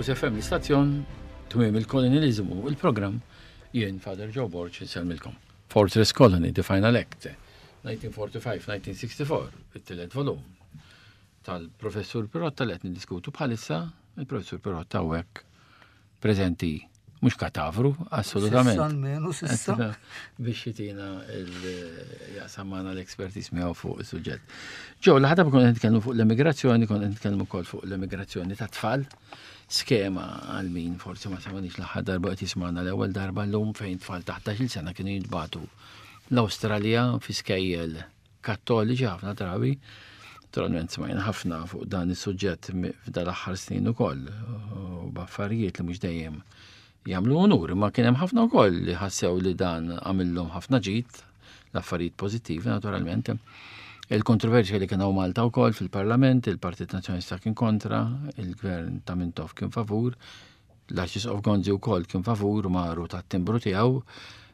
Rose FM l-istazzjon, tmiem il-kolonializmu, il-programm jien Father Joe Borg insellmilkom. Fortress Colony, The Final Act, 1945-1964, it-tielet volum tal-professur Pirotta li qed niddiskutu bħalissa, il-professur Pirotta hawnhekk preżenti mhux katavru, assolutament. Sissa almenu sissa. Biex jitina jaqsam magħna l-expertise miegħu fuq is-suġġett. Ġew, l-ħadha konna qed nitkellmu fuq l-emigrazzjoni, konna qed nitkellmu wkoll fuq l-emigrazzjoni ta' tfal. Skema għal min forsi ma semaniex l-aħħar darba qed jismagħna l-ewwel darba llum fejn tfal taħt 11-il sena kienu jintbagħtu l-Awstralja fi skejjel Kattoliċi ħafna drabi. Naturalment smajna ħafna fuq dan is-suġġett f'dal-aħħar snin ukoll u b'affarijiet li mhux dejjem jagħmlu unur, imma kien hemm ħafna wkoll li ħassew li dan għamillhom ħafna ġid, l-affarijiet pożittivi naturalment. Il-kontroversja li kien hawn Malta wkoll fil-Parlament, il-Partit Nazzjonalista kien kontra, il-Gvern ta' Mintoff kien favur, L-Arċisqof Gonzi wkoll kien favur maru tat-timbru tiegħu.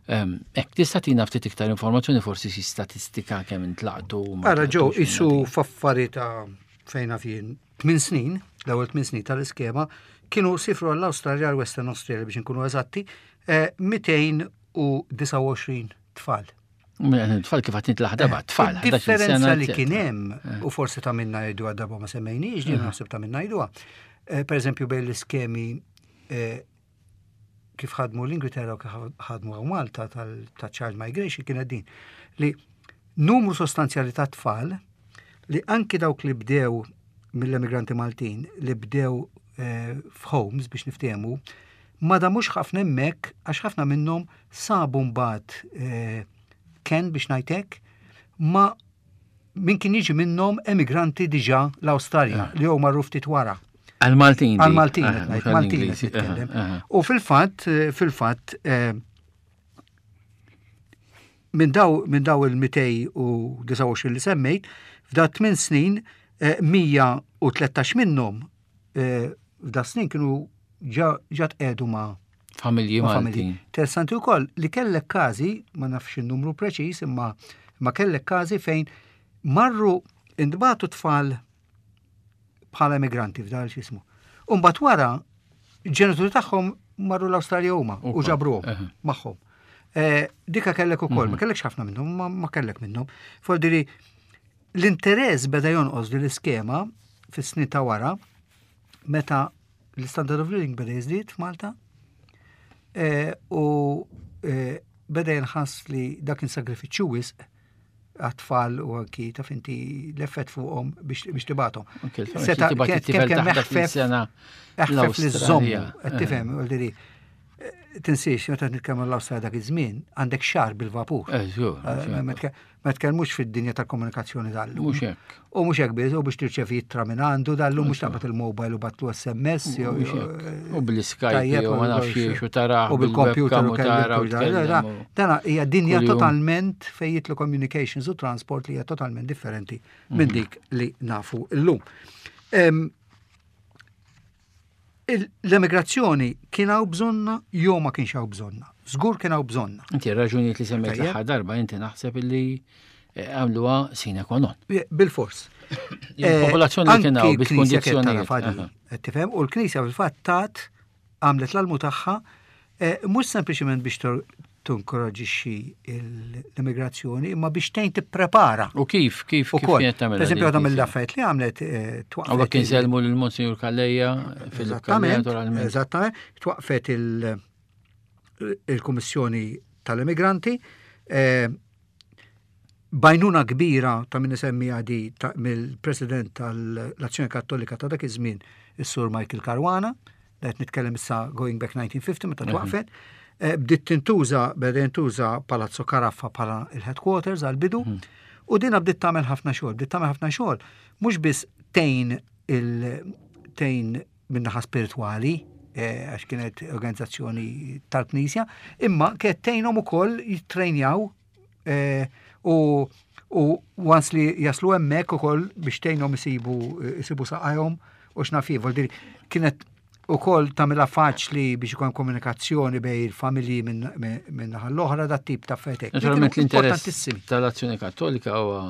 Hekk tista' tina ftit iktar informazzjoni forsi xi statistika kemm intlaqtu. Ara ġew isu f'affari ta' fejn jien 8 snin, l-ewwel 8 snin tal-iskema, kienu sifru għall-Awstralja għall-Western Australia biex inkunu eżatti, 229 eh, tfal. Tfal kif għatnit l-ħdaba, eh, tfal. Differenza li kien hemm, eh. u forsi ta' minna jgħidu għad-darba ma semmejniex, din naħseb ta' minna jgħiduha. Per eżempju, bejn l-iskemi kif ħadmu l-Ingilterra u kif ħadmu għaw Malta ta' child migration kienet din li numru sostanzjali ta' tfal li anki dawk li bdew mill-emigranti Maltin li bdew eh, f'homes biex niftehmu ma damux ħafna hemmhekk għax ħafna minnhom sabu mbagħad eh, ken biex ngħidlek ma min kien jiġi minnhom emigranti diġà l-Awstralja li jew marru ftit wara. Għal-Maltin. Għal-Maltin, Maltin nitkellem. U fil-fatt, eh, fil-fatt, eh, minn daw, min daw il-229 li semmejt, f'da 8 snin, 113 minnhom f'da snin kienu ġa tqegħdu ma' familji Maltin. Interessanti wkoll li kellek każi, ma nafx in-numru preċiż, imma ma kellek każi fejn marru intbagħtu tfal bħala emigranti f'dal x'ismu. U mbagħad wara ġenituri tagħhom marru l-Awstralja huma u ġabruhom magħhom. Eh, dika kellek ukoll, ma mhm. kellekx ħafna minnhom, ma kellek minnhom. Fordiri l-interess beda jonqos din l-iskema fis-snin ta' wara meta l-standard of living beda jiżdied f'Malta eh, u eh, beda jinħass li dak kien sagrifiċċju wisq għat-tfal u anki taf inti l-effett fuqhom biex tibathom. Seta kemm kemm eħfef eħfef li żommu, qed tifhem, eh, tinsiex meta nitkellmu l-Awstralja dak iż-żmien għandek xahar bil-vapur. Ma tkellmux fid-dinja tal-komunikazzjoni dal-lum. Mhux hekk. U mhux hekk biss, u biex tirċevi ittra minn għandu dal-lum mhux taqbad il-mobile u batlu SMS. U bl-Skype u ma nafx u tara. U bil-computer u tara. Dana hija dinja totalment fejn jitlu communications u transport li hija totalment differenti minn mhm. dik li nafu llum. L-emigrazzjoni kien hawn bżonna jew ma kienx hawn bżonna. Żgur kien hawn bżonna. Inti raġunijiet li semmejt l-aħħar darba inti naħseb illi eh, għamluha sine qua non. Bil-fors. Il-popolazzjoni li kien hawn bil-kondizzjonijiet. Tifhem u l-Knisja fil-fatt tat għamlet l-almu tagħha eh, mhux sempliċement biex tinkoraġixxi l-immigrazzjoni imma biex tgħin tipprepara. U kif, kif, kif kienet tagħmel? Per eżempju, għadha mill-affarijiet li għamlet eh, twaqfet. Għawek kien selmu l-Monsignor Calleja fil-Eżattament, eżattament, twaqfet il-Kummissjoni tal-Immigranti. Eh, bajnuna kbira ta' min isemmi għadi mill-President tal-Azzjoni Kattolika ta' dak iż-żmien, is-Sur Michael Caruana, qed nitkellem issa going back 1950 meta mhm. twaqfet, eh, bdiet tintuża, beda jintuża Palazzo Caraffa bħala il-headquarters għal-bidu, mhm. u dina bdiet tagħmel ħafna xogħol, bdiet tagħmel ħafna xogħol, mhux biss tgħin il tgħin min-naħa spiritwali, eh, għax kienet organizzazzjoni tal-Knisja, imma kienet tgħinhom ukoll jittrejnjaw eh, u u once li jaslu hemmhekk ukoll biex tgħinhom isibu isibu saqajhom u x'naf jien, kienet ukoll tagħmilha faċli biex ikun komunikazzjoni bejn il-familji minn naħa l-oħra dat tip ta' affarijiet. Naturalment l-interess tal-Azzjoni Kattolika huwa.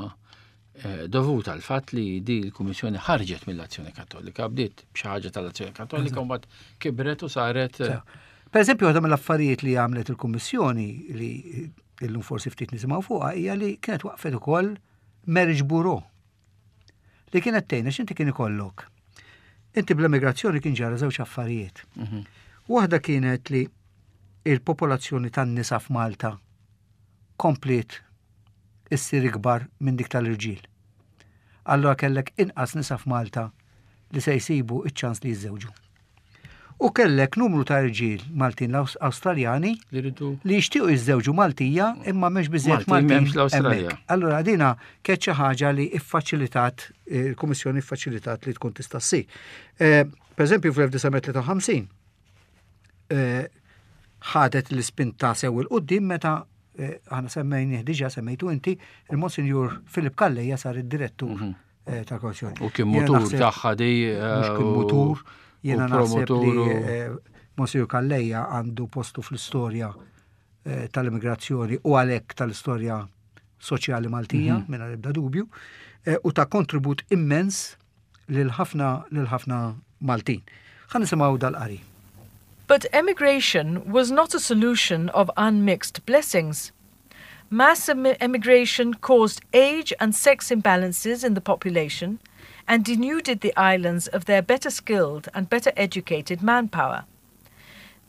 Eh, dovut għal fatt li di l-Kummissjoni ħarġet mill-Azzjoni Kattolika, bdiet b'xi ħaġa tal-Azzjoni Kattolika u mbagħad kibret u saret. Eh, per eżempju, waħda mill-affarijiet li għamlet il-Kummissjoni li illum forsi ftit nisimgħu fuqha hija li kienet waqfet ukoll marriage bureau li kienet tgħinha x'inti kien ikollok. Inti bl-emigrazzjoni kien ġara żewġ affarijiet. Waħda kienet li il-popolazzjoni tan-nisa f'Malta kompliet issir ikbar minn dik tal-irġiel. Allura kellek inqas nisa f'Malta li se jsibu iċ-ċans li jiżżewġu. U kellek numru ta' irġiel Maltin Awstraljani li jixtiequ jiżżewġu Maltija imma m'hemmx biżejjed Maltin hemmhekk. Allura dina kienet xi ħaġa li ffaċilitat il-Kummissjoni ffaċilitat li tkun tista' ssir. Eh, per eżempju fl-1953 eh, ħadet l-ispinta sew il-qudiem meta eh, aħna semmejnih diġà semmejtu inti, il-Monsinjur Filip Calleja sar id-direttur mhm. eh, tal-Kommissjoni. U kien mutur tagħha di. Mhux kien mutur, jiena naħseb li Monsinjur Calleja għandu postu fl-istorja tal-immigrazzjoni u għalhekk tal-istorja soċjali Maltija, mhm. mingħajr ebda dubju, u ta' kontribut immens lil ħafna lil ħafna Maltin. Ħa nisimgħu dal-qari. But emigration was not a solution of unmixed blessings. Mass emigration caused age and sex imbalances in the population and denuded the islands of their better skilled and better educated manpower.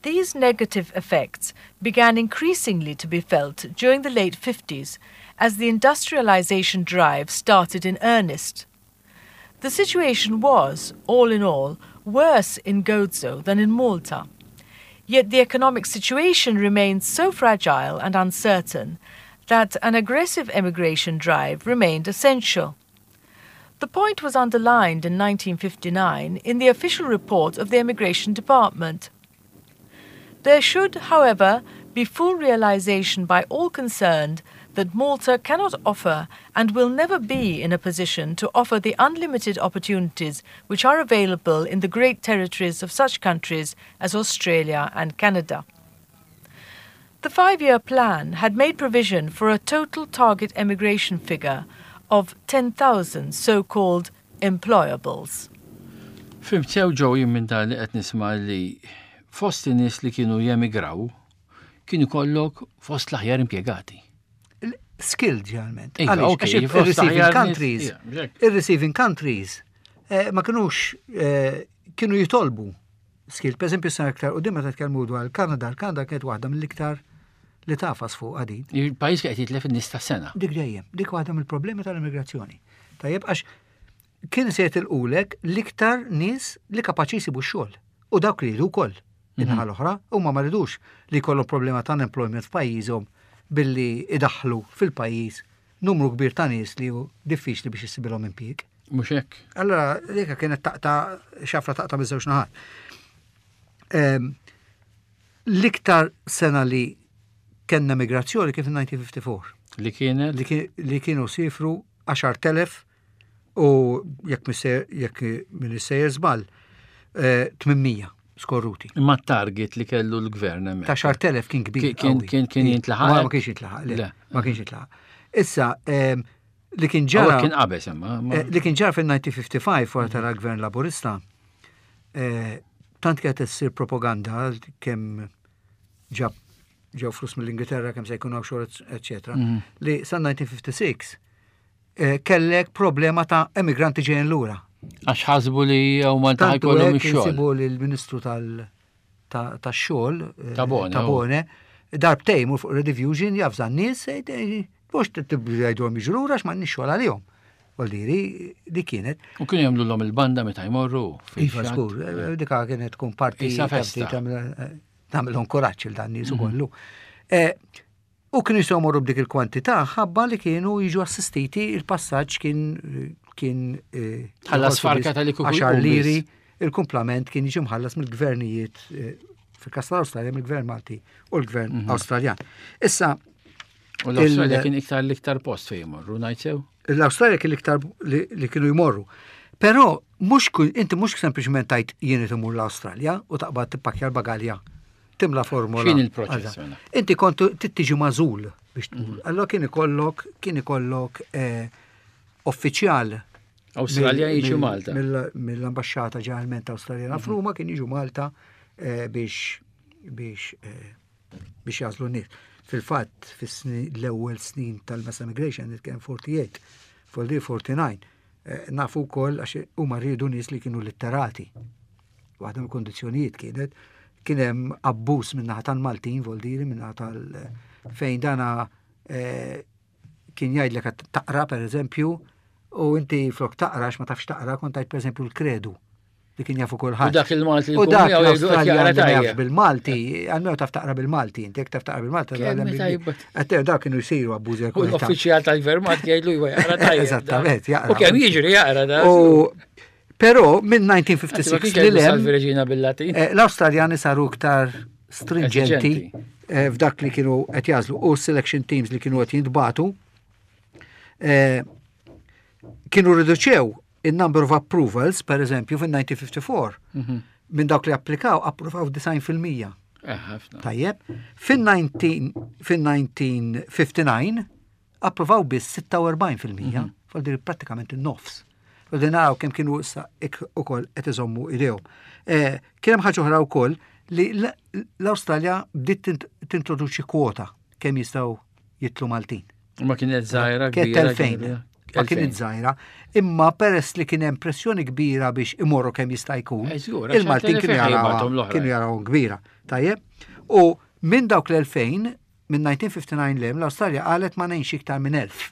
These negative effects began increasingly to be felt during the late 50s as the industrialization drive started in earnest. The situation was, all in all, worse in Gozo than in Malta. Yet the economic situation remained so fragile and uncertain that an aggressive emigration drive remained essential. The point was underlined in 1959 in the official report of the Emigration Department. There should, however, be full realization by all concerned that Malta cannot offer and will never be in a position to offer the unlimited opportunities which are available in the great territories of such countries as Australia and Canada. The five-year plan had made provision for a total target emigration figure of 10,000 so-called employables. Fhimt sew Joe jien minn dan li qed nisma' li fost in-nies li kienu jemigraw kien ikollok fost l-aħjar impjegati. Skilled ġeneralment. Iva, Għaliex? Għax il-receiving countries, il-receiving countries eh, ma kinux eh, kienu jitolbu skilled. Per eżempju, sena iktar u meta tkellmu dwar il-Kanada, il-Kanada kienet waħda mill-iktar li tafas fuq għadin. Il-pajjiż qed jitlef in-nies ta' sena. Dik dejjem, dik waħda mill-problemi tal-immigrazzjoni. Tajjeb għax kien se jitilqulek l-iktar nies li kapaċi jsibu x-xogħol u dawk li jridu wkoll. In-naħa l-oħra, huma ma ridux li jkollhom problema ta' unemployment f'pajjiżhom billi idaħħlu fil-pajjiż numru kbir ta' nies li hu diffiċli biex issibilhom impjieg. Mhux hekk. Allora, dik kienet taqta' xafra taqta' miż-żewġ naħat. Ehm, l-iktar sena li kellna migrazzjoni kif 1954. Li kienet? Li kienu sifru 10,000 u jekk jekk min sejjer żball 800 eh, skorruti. Imma target li kellu l-gvern hemmhekk. Ta' xar telef kien kbir. Kien kien kien jintlaħaq. Ma kienx jintlaħaq, le. Ma kienx jintlaħaq. Issa, ehm, li kien ġara. Kien qabeż imma. Eh, li kien ġara fil-1955 wara tara gvern laburista, eh, tant kienet issir propaganda kemm ġab ġew flus mill-Ingilterra kemm se jkun hawn xogħol, eċetera, mhm. li sa 1956 eh, kellek problema ta' emigranti ġejjin lura. Għax ħasbu li huma ta' jkollhom ix-xogħol. Sibu li l-Ministru tal-xogħol eh, Tabone, darbtejn mur fuq Rediffusion jafża n-nies mhux tibgħidhom jiġu lura għax m'għandniex xogħol għalihom. Voldiri, di kienet. U kienu jagħmlu l-om il-banda meta jmorru. Iva, skur, eh, dika kienet tkun parti. Tagħmilhom kuraġġ il dan nies mhm. ukollu. U kienu jistgħu jmorru b'dik il-kwantità ħabba li kienu jiġu assistiti il-passaġġ kien kien eh, ħallas farka tal għaxar liri, il-kumplament kien jiġi mħallas mill-gvernijiet eh, fil-kas tal-Awstralja mill-gvern Malti u l-gvern mhm. Awstraljan. Issa U l-Awstralja kien iktar l-iktar post fejn jmorru, ngħid sew? L-Awstralja kien l-iktar li kienu jmorru. Però mhux inti mhux sempliċement tajt jien imur l-Awstralja u taqbad tippakja l-bagalja timla formola. X'in il-proċess mela? Inti kont tiġi mażul biex tmur. Mhm. Allora kien ikollok kien ikollok eh, uffiċjal Awstralja jiġu Malta. Mill-ambaxxata ġeneralment Awstraljana f'Ruma kien jiġu Malta eh, biex biex eh, biex jagħżlu n-nies. Fil-fatt, fis-l-ewwel snin tal-mass emigration, kien 48, 49, eh, nafu wkoll għax huma riedu nies li kienu litterati. Waħda mill-kondizzjonijiet kienet kien hemm abbuż min-naħa tal-Maltin, voldiri min-naħa tal fejn dana eh, kien jgħidlek qed taqra pereżempju u inti flok taqra ma tafx taqra kont tgħid pereżempju l-kredu li kien jafu kulħadd. U dak il-Malti U dak l-Awstraljan li jaf bil-Malti, għalmenu taf taqra bil-Malti, inti jekk taf taqra bil-Malti. Għattew dak kienu jsiru abbużi. U l-uffiċjal tal-gvern Malti jgħidlu jwa jaqra tajjeb. Eżattament, jaqra. U kemm jiġri jaqra da. Però minn 1956 li lem, eh, l-Awstraljani saru iktar stringenti eh, f'dak li kienu qed jażlu u selection teams li kienu qed jintbatu eh, kienu riduċew in-number of approvals, per eżempju, fin-1954, mhm. minn dawk li applikaw, approvaw 90%. Eh, Tajjeb, fin-1959 approvaw biss 46%, mm -hmm. prattikament in-nofs. U din naraw kemm kienu issa ukoll qed iżommu idejhom. Eh, kien hemm ħaġa oħra wkoll li l-Awstralja bdiet tintroduċi kwota kemm jistgħu jitlu Maltin. Ma kienet żgħira kbira. Ma kienet żgħira, imma peress li kien hemm pressjoni kbira biex imorru kemm jista' jkun, eh, il-Maltin kienu jaraw kienu jaraw kbira. Tajjeb? U minn dawk l-2000 minn 1959 lem l-Awstralja qalet ma ngħinx iktar minn 1000.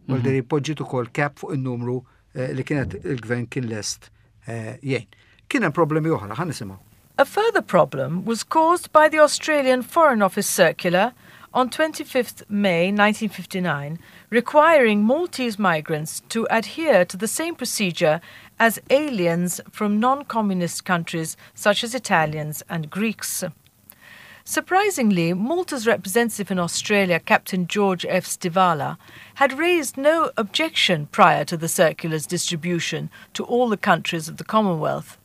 Voldiri mhm. poġġiet ukoll cap fuq in-numru eh, li kienet il-gvern kien lest eh, jgħin. Kien hemm problemi oħra, ħa nisimgħu. A further problem was caused by the Australian Foreign Office Circular on 25th May 1959, requiring Maltese migrants to adhere to the same procedure as aliens from non-communist countries such as Italians and Greeks. Surprisingly, Malta's representative in Australia, Captain George F. Stivala, had raised no objection prior to the circular's distribution to all the countries of the Commonwealth.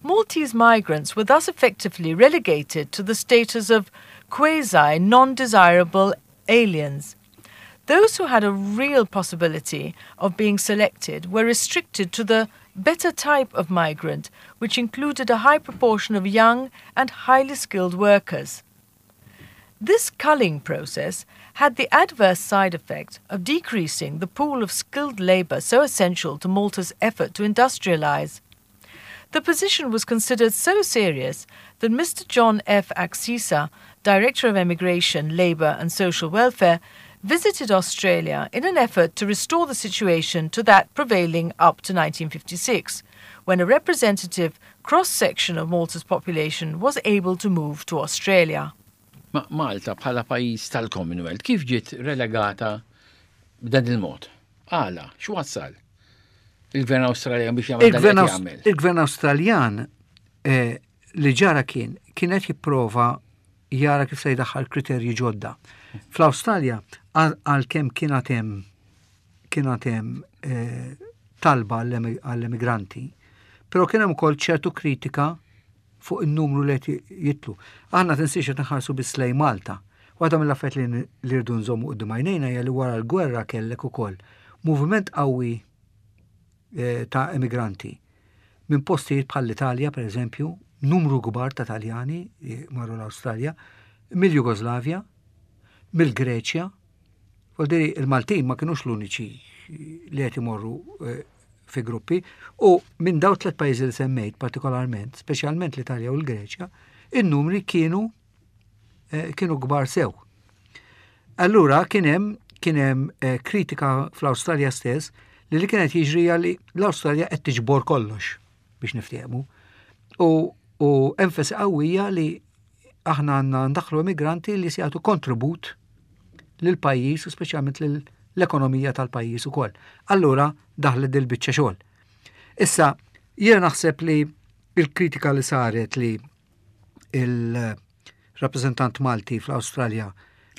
Maltese migrants were thus effectively relegated to the status of quasi non desirable aliens. Those who had a real possibility of being selected were restricted to the better type of migrant, which included a high proportion of young and highly skilled workers. This culling process had the adverse side effect of decreasing the pool of skilled labour so essential to Malta's effort to industrialise. The position was considered so serious that Mr. John F. Axisa, Director of Emigration, Labour and Social Welfare, visited Australia in an effort to restore the situation to that prevailing up to 1956, when a representative cross-section of Malta's population was able to move to Australia. Ma Malta bħala pajjiż tal-Commonwealth kif ġiet relegata b'dan il-mod? Għala, x'wassal? Il-Gvern Awstraljan biex jagħmel dak li jagħmel. Il-Gvern Awstraljan eh, li ġara kien kien qed jipprova jara kif se jdaħħal kriterji ġodda. Fl-Awstralja għalkemm kien hemm kien hemm eh, talba għall-emigranti, però kien hemm ukoll ċertu kritika fuq in-numru li qed jitlu. Aħna tinsiex qed nħarsu biss lejn Malta. Waħda mill-affarijiet li li rridu nżommu quddiem għajnejna hija li wara l-gwerra kellek ukoll moviment qawwi eh, ta' emigranti minn postijiet bħal l-Italja per eżempju, numru kbar ta' Taljani marru l-Awstralja, mill-Jugoslavja, mill-Greċja. Vuol il-Maltin ma kienux l-uniċi li qed imorru eh, fi gruppi u minn daw tlet pajjiżi li semmejt partikolarment, speċjalment l-Italja u l-Greċja, in-numri kienu eh, kienu kbar sew. Allura kien hemm kien hemm eh, kritika fl-Awstralja stess li li kienet jiġri li l-Awstralja qed tiġbor kollox biex niftehmu. U, u enfasi qawwija li aħna għandna ndaħlu immigranti li se jagħtu kontribut lil pajjiż u speċjalment l-ekonomija tal-pajjiż ukoll. Allura daħlet dil biċċa xogħol. Issa, jiena naħseb li il-kritika li saret li il-rappreżentant Malti fl-Awstralja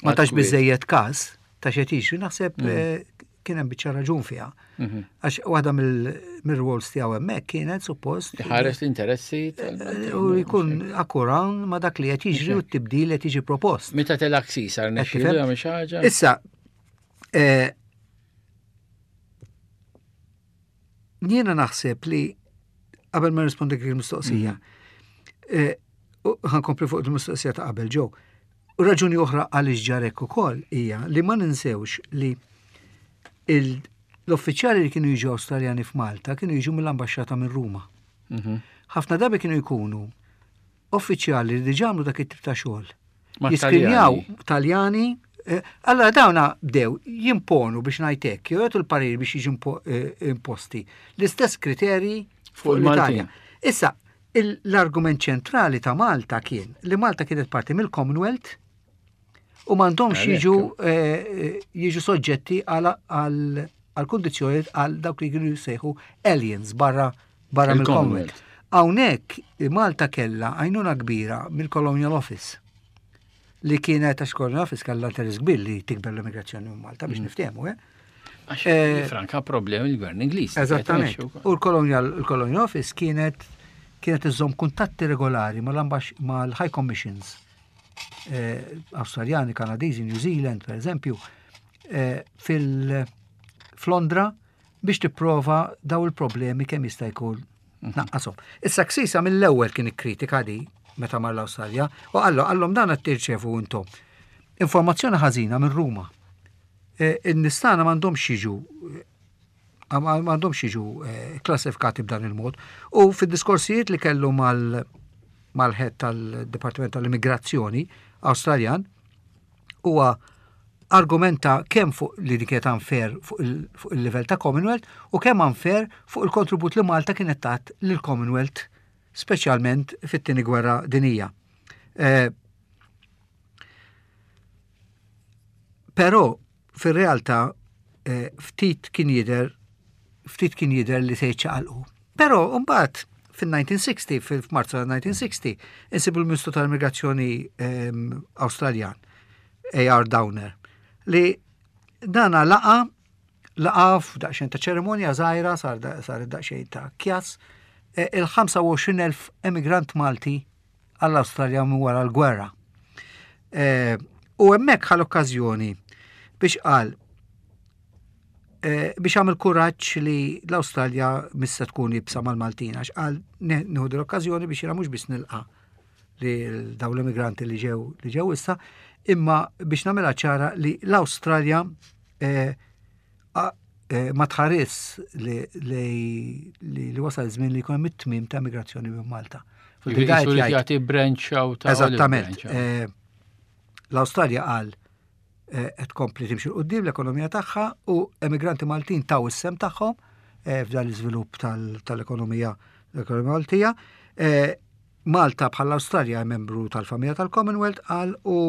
ma tax biżejjed każ ta' xed jiġri, naħseb mm. eh, kien hemm biċċa raġun fiha. Mhm. Għax waħda mill-roles tiegħu hemmhekk kienet suppost. Ħares l-interessi eh, U jkun akkuran ma dak li qed jiġri u t-tibdil qed jiġi propost. Meta telak sisar nexxielu jagħmel xi ħaġa. Issa, eh, Jiena naħseb li qabel ma nirrispondi il-mistoqsija, mhm. eh, ħankompli fuq il-mistoqsija ta' qabel ġew. Raġuni oħra għaliex ġarek ukoll hija li ma ninsewx li l-uffiċjali li kienu jiġu Awstraljani f'Malta kienu jiġu mill-ambaxxata minn Ruma. Mhm. Ħafna drabi kienu jkunu uffiċjali li diġà għamlu dak it-tip ta' xogħol. Jiskrinjaw Taljani, eh, allora dawna bdew jimponu biex ngħid hekk, jew jagħtu l-parir biex jiġu eh, imposti l-istess kriterji fuq l-Italja. Issa, l-argument ċentrali ta' Malta kien li Malta kienet parti mill-Commonwealth u m'għandhomx jiġu eh, jiġu soġġetti għal kundizzjonijiet għal dawk li kienu jsejħu aliens barra barra mill-Commonwealth. Hawnhekk Malta kellha għajnuna kbira mill-Colonial Office li kienet għax Colonial Office kellha interess kbir li tikber l-immigrazzjoni minn Malta biex mm. niftehmu, eh? Għax eh, franka problemi l-gvern Ingliż. Eżattament. U l-Colonial Office kienet kienet iżżomm kuntatti regolari mal-High Commissions eh, Awstraljani, Kanadiżi, New Zealand, per eżempju, eh, fil-Londra biex tipprova daw il-problemi kemm jista' jkun tnaqqashom. Issa Ksisa mill-ewwel kien ikkritika di meta mar l-Awstralja u qallu qallhom dan qed tirċevu intom. Informazzjoni ħażina minn Ruma. E, in-nistana m'għandhomx jiġu m'għandhomx jiġu e, klassifikati b'dan il-mod. U fid-diskorsijiet li kellu mal mal-head tal-Dipartiment tal-Immigrazzjoni Awstraljan, huwa argumenta kemm fuq li dik kienet unfair fuq il-livell ta' Commonwealth u kemm unfair fuq il-kontribut li Malta kienet tat lill-Commonwealth speċjalment fit-tieni gwerra dinija. Eh, però fir-realtà eh, ftit kien jidher ftit kien jidher li se jiċċaqalqu. Però mbagħad fin-1960, fil-Marzu tal-1960, insibu l-Ministru tal-Immigrazzjoni ehm, Awstraljan, A.R. Downer, li dana laqa laqa f'daqsxejn ta' ċerimonja żgħira sar daqsxejn ta' kjas eh, il-25,000 emigrant Malti għall-Awstralja minn wara l-gwerra. Eh, u hemmhekk ħal okkażjoni biex qal eh, biex għamil kuraġġ li l-Awstralja missa tkun ibsa mal-Maltin għax qal nieħu l-okkażjoni biex jiena mhux biss nilqa' li dawn l-immigranti li ġew li ġew issa, imma biex nagħmilha ċara li l-Awstralja eh, Eh, ma tħares li, li, wasal żmien li jkun hemm it-tmiem ta' migrazzjoni minn Malta. Jagħti branch out ta' Eżattament. Eh, L-Awstralja qal eh, qed tkompli timxi qudiem l-ekonomija tagħha u emigranti Maltin taw is-sem tagħhom f'dan l-iżvilupp tal-ekonomija l-ekonomija Maltija. Malta bħall-Awstralja membru tal-familja tal-Commonwealth qal u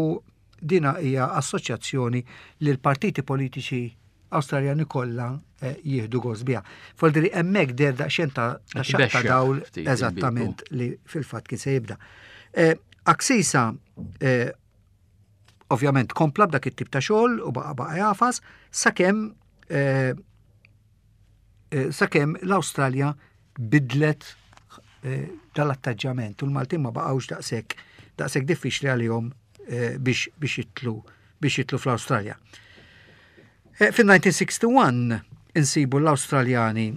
Dina hija assoċjazzjoni li l-partiti politiċi Awstraljani kollha eh, jieħdu gost biha. Foldri hemmhekk der daqsxejn ta' xaqta dawl eżattament li fil-fatt kien se jibda. Eh, Aksisa eh, ovvjament kompla b'dak it-tip ta' xogħol u baqa' baqa' jafas sakemm sakemm l-Awstralja bidlet eh, dal-attaġġament u l-Maltin ma baqgħux daqshekk daqshekk diffiċli għalihom eh, biex biex jitlu biex jitlu fl-Awstralja. Eh, Fin-1961 insibu l-Awstraljani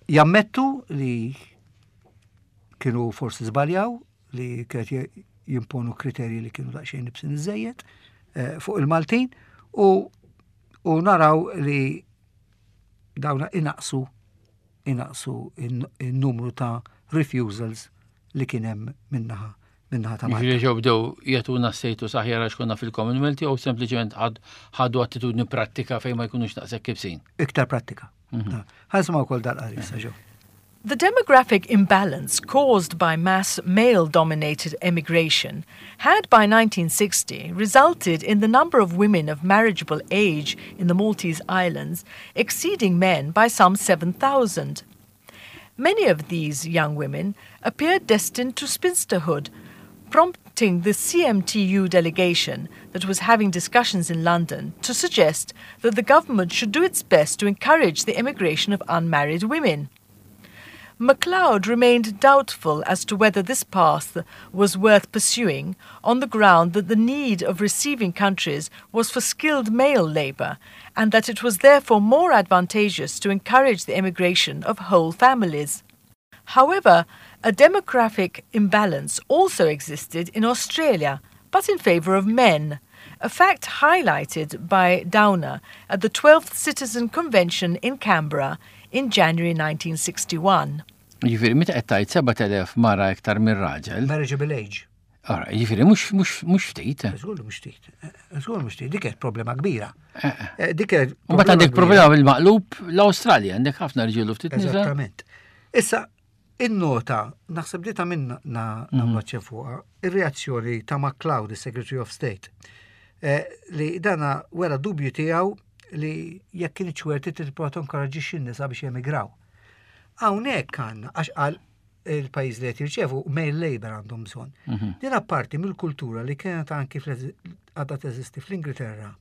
jammettu li kienu forsi żbaljaw li kienet jimponu kriterji li kienu daqsxejn nibsin iżejjed fuq il-Maltin u u naraw li dawna inaqsu inaqsu n-numru ta' refusals li kien hemm minnaħa minnaħa ta' Malta. Jiġifieri ġew bdew jagħtuna status aħjar għax konna fil-Commonwealth jew sempliċement ħadu attitudni prattika fejn ma jkunux daqshekk ibsin. Iktar prattika. Mhm. Ħa nisimgħu wkoll dal-qari issa ġew. The demographic imbalance caused by mass male-dominated emigration had by 1960 resulted in the number of women of marriageable age in the Maltese Islands exceeding men by some 7,000. Many of these young women appeared destined to spinsterhood, prompting the CMTU delegation that was having discussions in London to suggest that the government should do its best to encourage the emigration of unmarried women. MacLeod remained doubtful as to whether this path was worth pursuing on the ground that the need of receiving countries was for skilled male labour and that it was therefore more advantageous to encourage the emigration of whole families. However, a demographic imbalance also existed in Australia, but in favour of men, a fact highlighted by Downer at the 12th Citizen Convention in Canberra in January 1961. Jiġifieri meta qed tgħid 7000 mara iktar minn raġel. Marriageable age. Ara, jiġifieri mhux mhux mhux ftit. Żgur mhux ftit. Żgur mhux ftit, dik problema kbira. Eh, eh. eh dik Mbagħad għandek problema bil-maqlub l-Awstralja, għandek ħafna rġiel u ftit nisa. Eżattament. Issa, in-nota, naħseb li ta' minna nagħmlu mhm. fuqha, ir-reazzjoni ta' McCloud, is-Secretary of State, eh, li dana wera dubju tiegħu li jekk kien ċwerti tipprova tinkoraġġixxi n-nisa biex jemigraw. Hawnhekk għandna għax qal il-pajjiż li qed jirċevu male labor għandhom bżonn. Mhm. Din apparti mill-kultura li kienet anki għadha teżisti fl-Ingilterra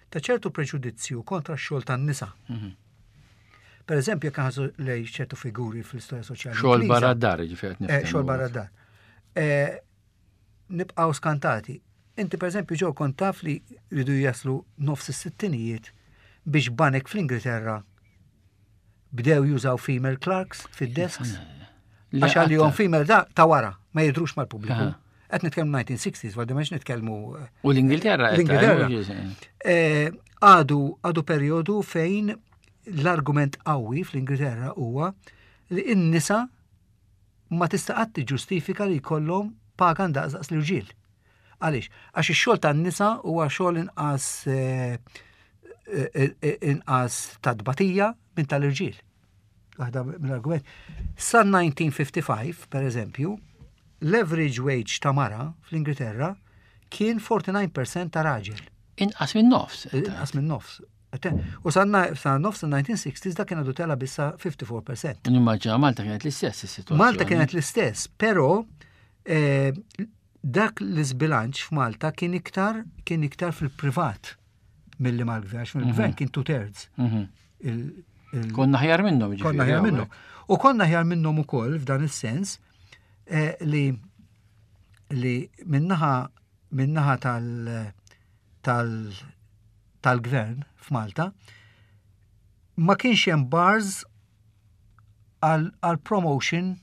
ta' ċertu preġudizzju kontra x-xogħol tan-nisa. Mhm. Per eżempju, jekk ħażu lej ċertu figuri fl-istorja soċjali. Xogħol barra d-dar, ġifieri. Eh, xogħol barra d-dar. Eh, nibqgħu skantati. Inti per eżempju ġew kont taf li ridu jaslu nofs is-sittinijiet biex banek fl-Ingilterra bdew jużaw female clerks fid-desks. Għax għalihom female da ta' wara ma jidrux mal-pubbliku. Qed nitkellmu 1960s, għaddi ma nitkellmu. Eh, U l-Ingilterra. L-Ingilterra. Eh, għadu għadu perjodu fejn l-argument qawwi fl-Ingilterra huwa li n-nisa ma tista' qatt tiġġustifika li jkollhom paga ndaqs daqs l-irġiel. Għaliex? Għax ix-xogħol tan-nisa huwa xogħol inqas eh, eh, eh, inqas ta' tbatija minn tal-irġiel. Waħda mill-argument. Sa 1955, per eżempju, l-average wage ta' mara fl-Ingilterra kien 49% ta' raġel. Inqas minn nofs. Inqas minn nofs. U sa nofs 1960s dak kien għadu tela bissa 54%. Nimmaġina Malta kienet l-istess is-sitwazzjoni. Malta kienet l-istess, però eh, dak l-iżbilanċ f'Malta kien iktar kien iktar fil-privat milli mal-gvern, għax mill-gvern mhm. kien two thirds. Mhm. Konna ħjar minnhom. Konna ħjar minnhom. U konna ħjar minnhom ukoll f'dan is-sens eh, li li minnaħa minnaħa tal tal tal-gvern f'Malta ma kienx hemm bars għal promotion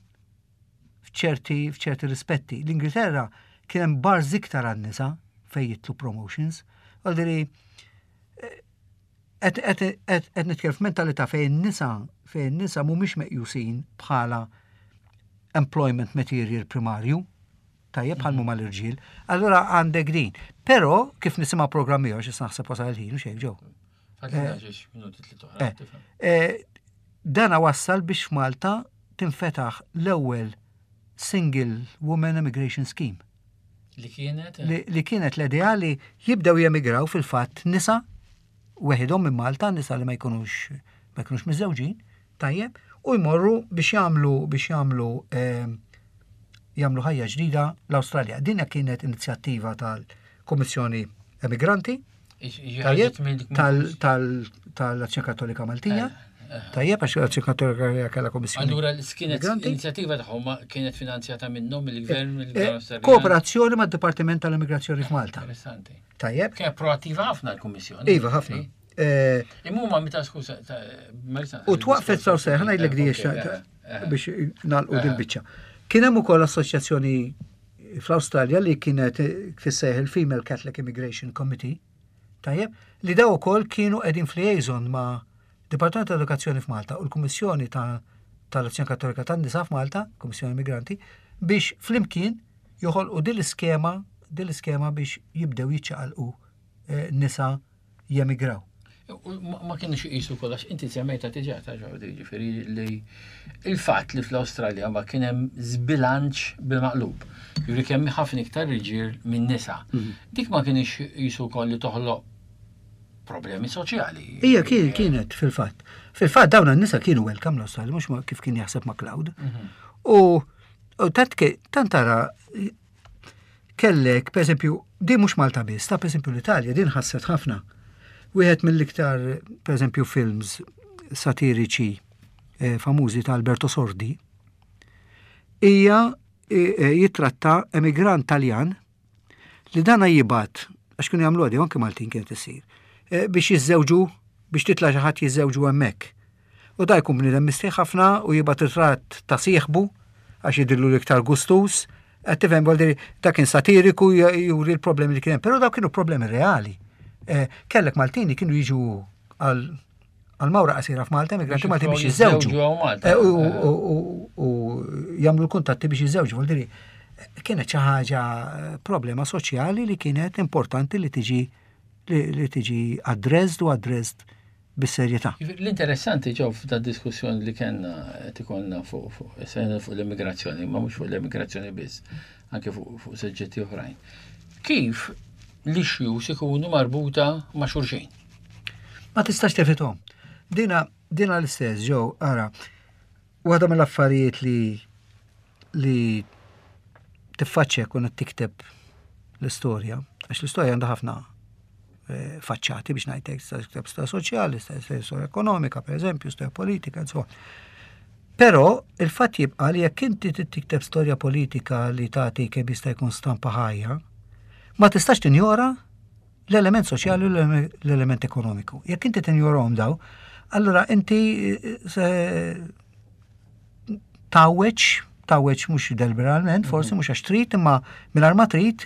f'ċerti f'ċerti rispetti. L-Ingilterra kien hemm bars iktar għan-nisa fejn jitlu promotions. Għaldiri eh, qed nitkellem f'mentalità fejn nisa fejn nisa mhumiex meqjusin bħala employment material primarju tajjeb bħal huma l-irġiel, allura għandek din. Però kif nisimgħu programm ieħor xi naħseb wasal il-ħin u xejn ġew. Eh, eh, dana wassal biex f'Malta tinfetaħ l-ewwel Single Woman Immigration Scheme. Li kienet? Li kienet l-idea li jibdew jemigraw fil-fatt nisa weħidhom minn Malta, nisa li ma jkunux ma jkunux miżżewġin, tajjeb, u jmorru biex jagħmlu biex jagħmlu eh, jagħmlu ħajja ġdida l-Awstralja. Din kienet inizjattiva tal-Kummissjoni Emigranti, tajjeb, tal-Azzjoni Kattolika Maltija. Eh, eh. Tajjeb, għax l-Azzjoni Kattolika kellha kommissjoni. Allura kienet inizjattiva tagħhom kienet finanzjata minnhom mill-gvern mill-gvern Kooperazzjoni mad-Dipartiment tal-Immigrazzjoni f'Malta. Interessanti. Tajjeb. Kienet proattiva ħafna l-Kummissjoni. Iva, ħafna. Eh, Imma meta skuża. U twaqfet saw seħ, ngħidlek di biex nagħlqu dil-biċċa. Kien hemm ukoll assoċjazzjoni fl-Awstralja li kienet fis-seħ il-Female Catholic Immigration Committee, tajjeb, li daw ukoll kienu qegħdin f'liaison ma' Dipartiment ta' Edukazzjoni f'Malta u l-Kummissjoni ta' tal-Azzjoni Kattolika tan-Nisa f'Malta, Kummissjoni Immigranti, biex flimkien joħolqu din l-iskema din l-iskema biex jibdew jiċċaqalqu eh, nisa jemigraw. Ma kienux iqisu kollox, inti semmejta diġà ta' ġordi, ġifieri li il-fatt li fl-Awstralja ma kien hemm żbilanċ bil-maqlub. Ġifieri kemm ħafna iktar irġiel minn nisa. Mhm. Dik ma kienx jisu wkoll li toħloq problemi soċjali. Ija kien kienet fil-fatt. Fil-fatt dawn n-nisa kienu welcome l-Awstralja, mhux kif kien jaħseb ma' Cloud. Mhm. U tant tara kellek, per eżempju, din mhux Malta biss, ta' per eżempju l-Italja, din ħasset ħafna. Wieħed mill-iktar, per eżempju, films satiriċi eh, famużi ta' Alberto Sordi. Hija jitratta emigrant Taljan li dana jibgħat, għax kienu jagħmlu għadi, anke Maltin kienet isir, eh, biex jiżżewġu, biex titla' xi ħadd jiżżewġu hemmhekk. U da jkun bniedem mistħi ħafna u jibgħat ritratt ta' sieħbu għax jidhirlu l-iktar gustuż. Qed tifhem vuol da kien satiriku juri l-problemi li kien hemm, però daw kienu problemi reali. Eh, kellek Maltini kienu jiġu għal għal mawra qasira f'Malta, immigranti Malti biex jiżżewġu. Eh, u jagħmlu l-kuntatti biex jiżżewġu, vuol dire kienet xi ħaġa eh, problema soċjali li kienet importanti li tiġi li tiġi addressed u addressed bis-serjetà. L-interessanti ġew f'da diskussjoni li kellna qed ikollna fuq fuq fuq l-immigrazzjoni, ma mhux fuq l-immigrazzjoni biss, anke fuq fuq suġġetti oħrajn. Kif l-issues ikunu marbuta ma' xulxin? Ma tistax tefithom. Dina dina l-istess ġew ara. Waħda mill-affarijiet li li tiffaċċja kun qed tikteb l-istorja, għax l-istorja għandha ħafna eh, faċċati biex ngħidlek, tista' tikteb storja soċjali, storja ekonomika, per eżempju, storja politika, insomma. Però il-fatt jibqa' li jekk inti tikteb storja politika li tagħti kemm jista' jkun stampa ħajja, ma tistax tinjora l-element soċjali u l-element ekonomiku. Jekk inti tinjorahom daw, allura inti eh, se tgħawweġ, tgħawweġ mhux deliberalment, forsi mhm. mhux għax trid, imma mingħajr ma trid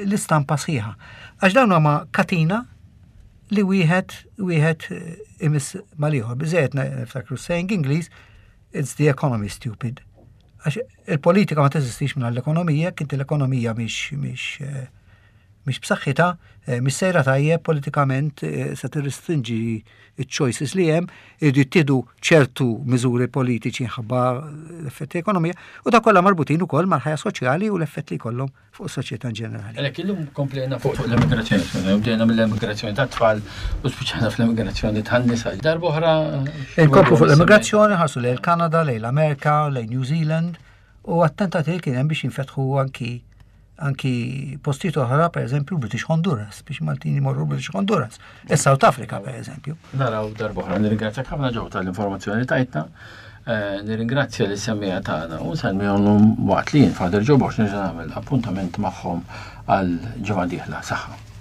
l-istampa sħiħa. Għax dawn huma katina li wieħed wieħed eh, imiss mal-ieħor. Biżejjed niftakru saying Ingliż, it's the economy stupid. Għax il-politika ma teżistix minn l-ekonomija, kinti l-ekonomija mhix mhix eh, mhix b'saħħitha, eh, mhix sejra tajjeb politikament eh, se tirrestrinġi ċ-choices li hemm, iridu jittieħdu ċertu miżuri politiċi ħabba l-effetti ekonomija u da kollha marbutin ukoll mal-ħajja soċjali u l-effett li jkollhom fuq is-soċjetà in ġenerali. Għalhekk illum komplejna fuq l-immigrazzjoni, bdejna mill-immigrazzjoni tat-tfal u spiċċajna fl-immigrazzjoni tan-nisa. Darba oħra. Inkomplu fuq l-immigrazzjoni ħarsu lejn il-Kanada, lejn l-Amerika, lejn New Zealand u attentati li kien hemm biex jinfetħu anki anki postijiet oħra, per eżempju, British Honduras, biex Maltin jmorru British Honduras, e South Africa, per eżempju. Naraw darbohra, nirringrazzjak ħafna ġew tal-informazzjoni tajtna, eh, nirringrazzja li semmija tagħna u nsellmihom waqt li jien Father Joe Box nerġa' nagħmel appuntament magħhom għal ġimgħa dieħla. Saħħa.